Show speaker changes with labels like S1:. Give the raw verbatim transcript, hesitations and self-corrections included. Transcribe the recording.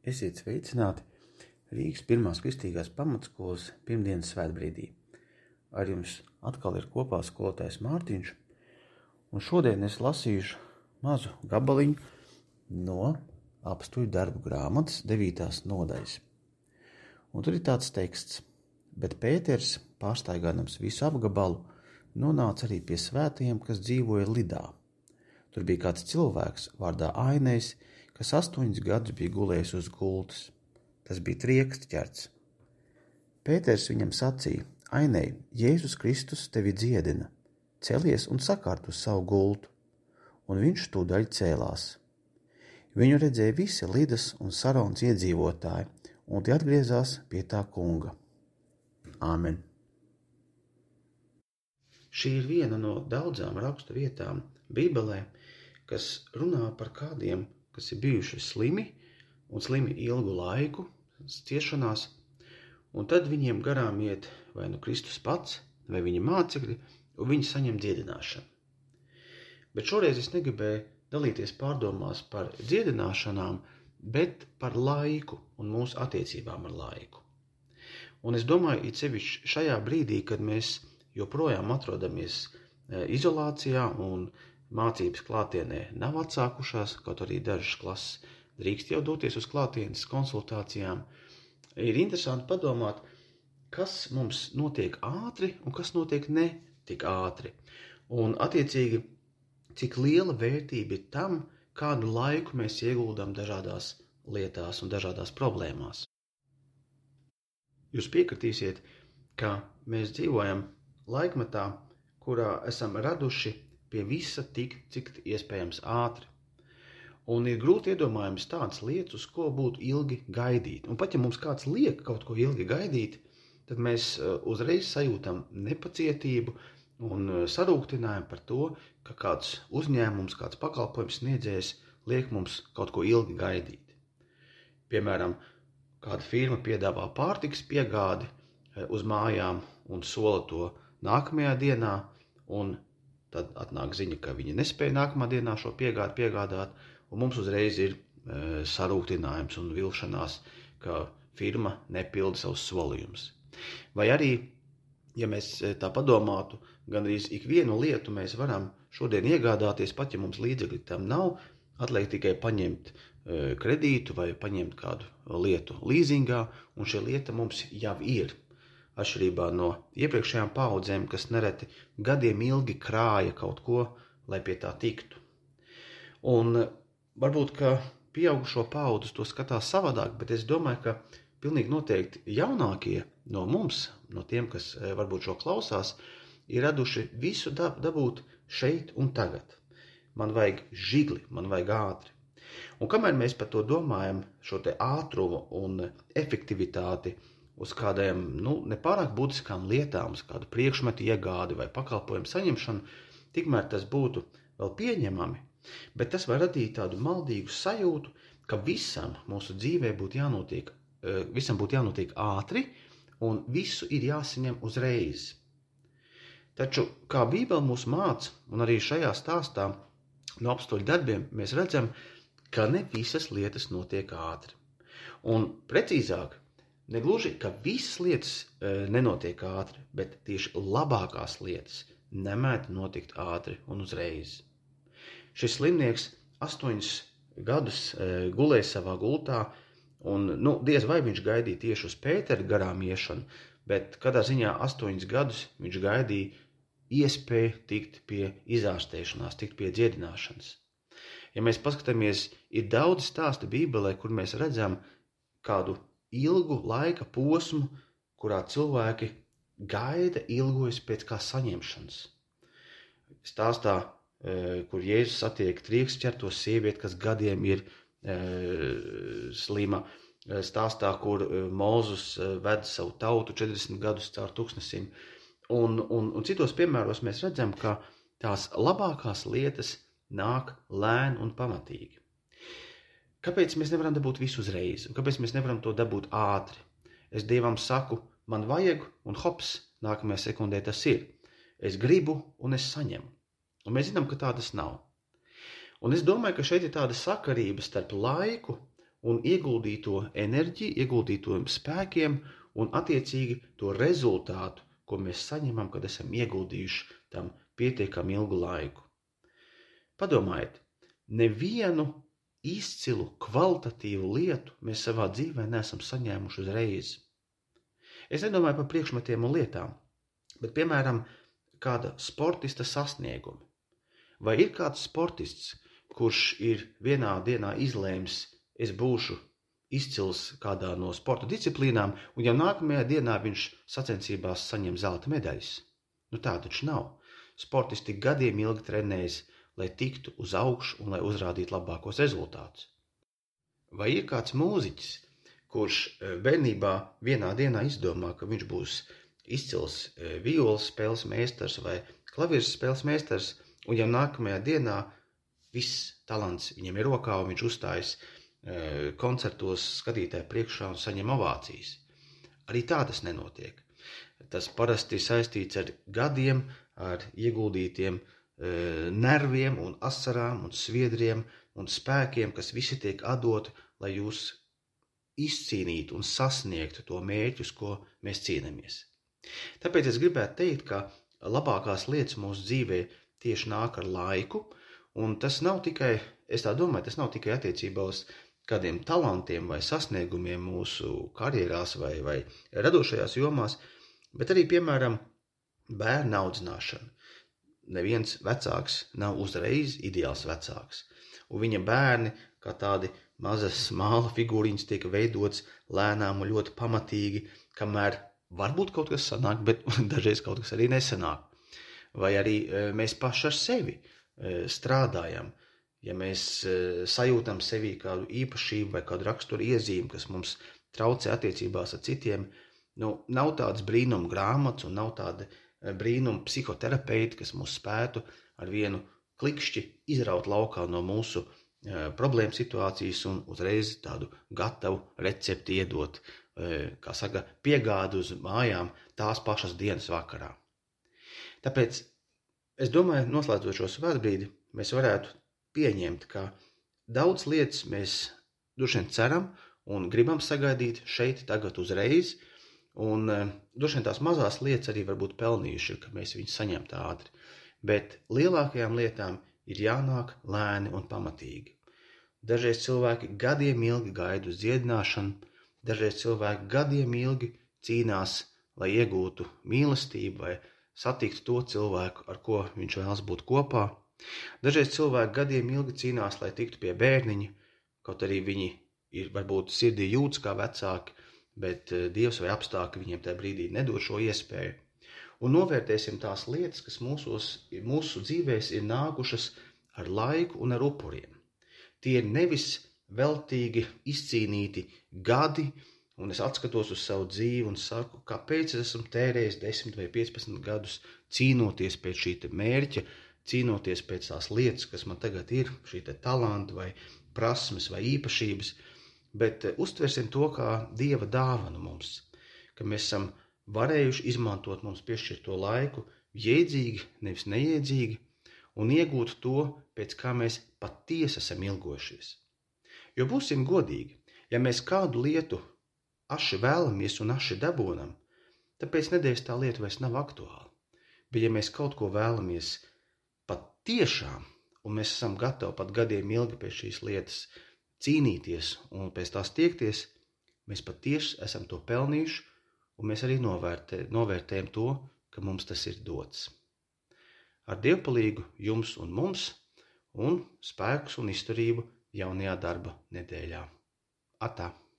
S1: Esiet sveicināti Rīgas pirmās kristīgās pamatskolas pirmdienas svētbrīdī. Ar jums atkal ir kopā skolotājs Mārtiņš, un šodien es lasīšu mazu gabaliņu no apstuļu darbu grāmatas devītās nodaļas. Un tur ir tāds teksts: bet Pēters, pārstaigādams visu apgabalu, nonāca arī pie svētajiem, kas dzīvoja Lidā. Tur bija kāds cilvēks vārdā Ainējs, kas astoņus gadus bija gulējis uz gultas. Tas bija trieksts ķerts. Pēters viņam sacīja: Ainēj, Jēzus Kristus tevi dziedina, celies un sakārt uz savu gultu. Un viņš tūdaļ cēlās. Viņu redzēja visi Lidas un Saronas iedzīvotāji, un tie atgriezās pie tā kunga. Āmen. Šī ir viena no daudzām rakstu vietām Bībelē, kas runā par kādiem, kas ir bijuši slimi un slimi ilgu laiku, ciešanās, un tad viņiem garām iet vai nu Kristus pats, vai viņa mācekļi, un viņi saņem dziedināšanu. Bet šoreiz es negribēju dalīties pārdomās par dziedināšanām, bet par laiku un mūsu attiecībām ar laiku. Un es domāju, it sevišķi šajā brīdī, kad mēs joprojām atrodamies izolācijā un mācības klātienē nav atsākušās, kaut arī dažas klases drīkst jau doties uz klātienes konsultācijām, ir interesanti padomāt, kas mums notiek ātri un kas notiek ne tik ātri. Un attiecīgi, cik liela vērtība ir tam, kādu laiku mēs ieguldam dažādās lietās un dažādās problēmās. Jūs piekritīsiet, ka mēs dzīvojam laikmetā, kurā esam raduši pie visa tik, cik iespējams ātri. Un ir grūti iedomājams tādas lietas, uz ko būtu ilgi gaidīt. Un pat ja mums kāds liek kaut ko ilgi gaidīt, tad mēs uzreiz sajūtam nepacietību un sarūktinājumu par to, ka kāds uzņēmums, kāds pakalpojums sniedzējs liek mums kaut ko ilgi gaidīt. Piemēram, kāda firma piedāvā pārtikas piegādi uz mājām un sola to nākamajā dienā, un tad atnāk ziņa, ka viņi nespēja nākamā dienā šo piegādi piegādāt, un mums uzreiz ir e, sarūktinājums un vilšanās, ka firma nepilda savus solījumus. Vai arī, ja mēs tā padomātu, gandrīz ikvienu lietu mēs varam šodien iegādāties, pat ja mums līdzekļi tam nav, atliek tikai paņemt e, kredītu vai paņemt kādu lietu līzingā, un šī lieta mums jau ir. Atšķirībā no iepriekšējām paudzēm, kas nereti gadiem ilgi krāja kaut ko, lai pie tā tiktu. Un varbūt, ka pieaugušo paudus to skatās savādāk, bet es domāju, ka pilnīgi noteikti jaunākie no mums, no tiem, kas varbūt šo klausās, ir raduši visu dab- dabūt šeit un tagad. Man vajag žigli, man vajag ātri. Un kamēr mēs par to domājam, šo te ātrumu un efektivitāti, uz kādiem, nu, nepārāk būtiskām lietām, uz kādu priekšmetu iegādi vai pakalpojumu saņemšanu, tikmēr tas būtu vēl pieņemami, bet tas var radīt tādu maldīgu sajūtu, ka visam mūsu dzīvē būtu jānotiek, visam būtu jānotiek ātri un visu ir jāsaņem uzreiz. Taču, kā Bībele mūs māca, un arī šajā stāstā no apstuļu darbiem, mēs redzam, ka ne visas lietas notiek ātri. Un precīzāk, negluži, ka visas lietas e, nenotiek ātri, bet tieši labākās lietas nemēdz notikt ātri un uzreiz. Šis slimnieks astoņus gadus e, gulēja savā gultā, un nu, diez vai viņš gaidīja tieši uz Pētera garām iešanu, bet kādā ziņā astoņus gadus viņš gaidīja iespēju tikt pie izārstēšanās, tikt pie dziedināšanas. Ja mēs paskatāmies, ir daudz stāstu Bībelē, kur mēs redzam kādu ilgu laika posmu, kurā cilvēki gaida, ilgojas pēc kā saņemšanas. Stāstā, kur Jēzus satiek triekšķerto sievieti, kas gadiem ir e, slima. Stāstā, kur Mūzus ved savu tautu četrdesmit gadus caur tūkstnesim. Un, un, un citos piemēros mēs redzam, ka tās labākās lietas nāk lēni un pamatīgi. Kāpēc mēs nevaram dabūt visu uzreiz? Un kāpēc mēs nevaram to dabūt ātri? Es Dievam saku, man vajag, un hops, nākamajā sekundē tas ir. Es gribu, un es saņemu. Un mēs zinām, ka tā tas nav. Un es domāju, ka šeit ir tāda sakarība starp laiku un ieguldīto enerģiju, ieguldīto spēkiem un attiecīgi to rezultātu, ko mēs saņemam, kad esam ieguldījuši tam pietiekami ilgu laiku. Padomājiet, nevienu izcilu, kvalitatīvu lietu mēs savā dzīvē neesam saņēmuši uzreiz. Es nedomāju par priekšmetiem un lietām, bet, piemēram, kāda sportista sasniegumi. Vai ir kāds sportists, kurš ir vienā dienā izlēms, es būšu izcils kādā no sporta disciplīnām, un jau nākamajā dienā viņš sacensībās saņem zelta medaļas? Nu tā taču nav. Sportisti gadiem ilgi trenējas, lai tiktu uz augšu un lai uzrādītu labākos rezultātus. Vai ir kāds mūziķis, kurš bērnībā vienā dienā izdomā, ka viņš būs izcils violas spēles meistars vai klavieres spēles meistars, un jau nākamajā dienā viss talants viņam ir rokā, un viņš uzstājas koncertos skatītāju priekšā un saņem ovācijas. Arī tā tas nenotiek. Tas parasti ir saistīts ar gadiem, ar ieguldītiem nerviem un asarām un sviedriem un spēkiem, kas visi tiek atdoti, lai jūs izcīnītu un sasniegtu to mērķus, ko mēs cīnāmies. Tāpēc es gribētu teikt, ka labākās lietas mūsu dzīvē tieši nāk ar laiku, un tas nav tikai, es tā domāju, tas nav tikai attiecībā uz kādiem talantiem vai sasniegumiem mūsu karjerās vai, vai radošajās jomās, bet arī, piemēram, bērnu audzināšana. Neviens vecāks nav uzreiz ideāls vecāks, un viņa bērni, kā tādi mazas māla figūriņas, tiek veidots lēnām un ļoti pamatīgi, kamēr varbūt kaut kas sanāk, bet dažreiz kaut kas arī nesanāk. Vai arī mēs paši ar sevi strādājam. Ja mēs sajūtam sevī kādu īpašību vai kādu raksturu iezīmi, kas mums traucē attiecībās ar citiem, nu, nav tāds brīnuma grāmatas un nav tāda brīnuma psihoterapeiti, kas mūs spētu ar vienu klikšķi izraut laukā no mūsu problēmu situācijas un uzreiz tādu gatavu recepti iedot, kā saka, piegādu uz mājām tās pašas dienas vakarā. Tāpēc es domāju, noslēdzot šo svētbrīdi, mēs varētu pieņemt, ka daudz lietas mēs droši vien ceram un gribam sagaidīt šeit tagad uzreiz, un droši vien tās mazās lietas arī varbūt pelnījuši, ka mēs viņus saņemtu ātri, bet lielākajām lietām ir jānāk lēni un pamatīgi. Dažreiz cilvēki gadiem ilgi gaida uz dziedināšanu, dažreiz cilvēki gadiem ilgi cīnās, lai iegūtu mīlestību vai satiktu to cilvēku, ar ko viņš vēlas būt kopā. Dažreiz cilvēki gadiem ilgi cīnās, lai tiktu pie bērniņa, kaut arī viņi ir varbūt sirdī jūtas kā vecāki, bet Dievs vai apstākļi viņiem tajā brīdī nedod šo iespēju. Un novērtēsim tās lietas, kas mūsos, mūsu dzīvēs ir nākušas ar laiku un ar upuriem. Tie ir nevis veltīgi izcīnīti gadi, un es atskatos uz savu dzīvi un saku, kāpēc es esmu tērējis desmit vai piecpadsmit gadus cīnoties pēc šī te mērķa, cīnoties pēc tās lietas, kas man tagad ir, šī te talanta vai prasmes vai īpašības, bet uztversim to kā Dieva dāvanu mums, ka mēs esam varējuši izmantot mums piešķirto laiku jēdzīgi, nevis nejēdzīgi, un iegūt to, pēc kā mēs patiesi esam ilgojušies. Jo būsim godīgi, ja mēs kādu lietu aši vēlamies un aši dabūnam, tāpēc nedēļas tā lieta vairs nav aktuāla. Bet ja mēs kaut ko vēlamies pat tiešām, un mēs esam gatavi pat gadiem ilgi pēc šīs lietas cīnīties un pēc tās tiekties, mēs pat tieši esam to pelnījuši, un mēs arī novērtē, novērtējam to, ka mums tas ir dots. Ar dievpalīgu jums un mums, un spēkus un izturību jaunajā darba nedēļā. Atā!